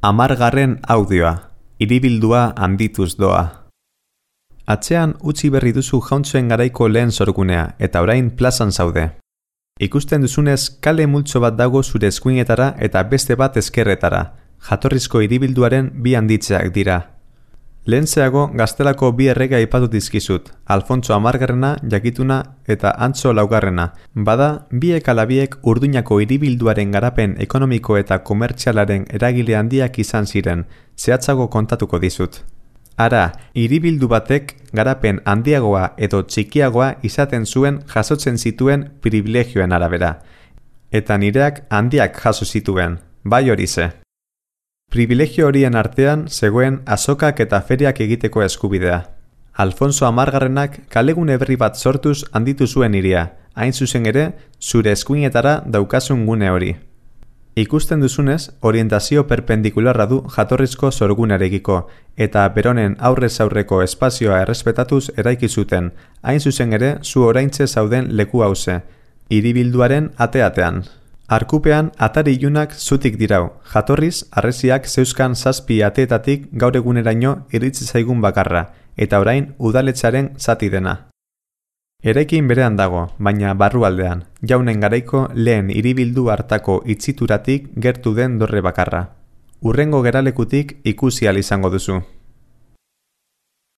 10. audioa, hiribildua handituz doa. Atzean utzi berri duzu jauntzuen garaiko lehen sorgunea, eta orain plazan zaude. Ikusten duzunez, kale multzo bat dago zure eskuinetara eta beste bat ezkerretara. Jatorrizko hiribilduaren bi handitzeak dira. Lehentzeago Gaztelako bi errege aipatu dizkizut, Alfontso 10. jakituna eta Antso 4. Bada, biek ala biek Urduñako hiribilduaren garapen ekonomiko eta komertzialaren eragile handiak izan ziren, zehatzago kontatuko dizut. Ara, hiribildu batek garapen handiagoa edo txikiagoa izaten zuen jasotzen zituen pribilegioen arabera. Eta nireak handiak jaso zituen, bai horize. Pribilegio horien artean zegoen azokak eta feriak egiteko eskubidea. Alfonso 10. kalegune berri bat sortuz handitu zuen hiria, hain zuzen ere, zure eskuinetara daukasun gune hori. Ikusten duzunez, orientazio perpendikularra du jatorrizko sorgunarekiko, eta beronen aurrez aurreko espazioa errespetatuz eraiki zuten, hain zuzen ere zu oraintze zauden leku hauze, hiribilduaren ate-atean. Arkupean atari ilunak zutik dirau, jatorriz harresiak zeuzkan 7 ateetatik gaur eguneraino iritsi zaigun bakarra, eta orain udaletxearen zati dena. Eraikin berean dago, baina barrualdean, jaunen garaiko lehen hiribildu hartako itzituratik gertu den dorre bakarra. Hurrengo geralekutik ikusi ahal izango duzu.